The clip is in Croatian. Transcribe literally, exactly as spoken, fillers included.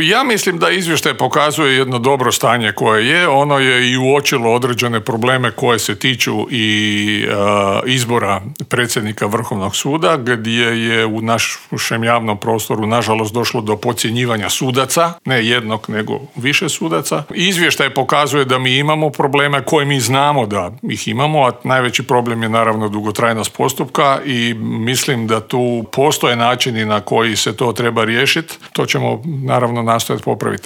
Ja mislim da izvještaj pokazuje jedno dobro stanje koje je. Ono je i uočilo određene probleme koje se tiču i uh, izbora predsjednika Vrhovnog suda, gdje je u našem javnom prostoru nažalost došlo do podcjenjivanja sudaca, ne jednog nego više sudaca. Izvještaj pokazuje da mi imamo probleme koje mi znamo da ih imamo, a najveći problem je naravno dugotrajnost postupka i mislim da tu postoje načini na koji se to treba riješiti. To ćemo naravno nastojati popraviti.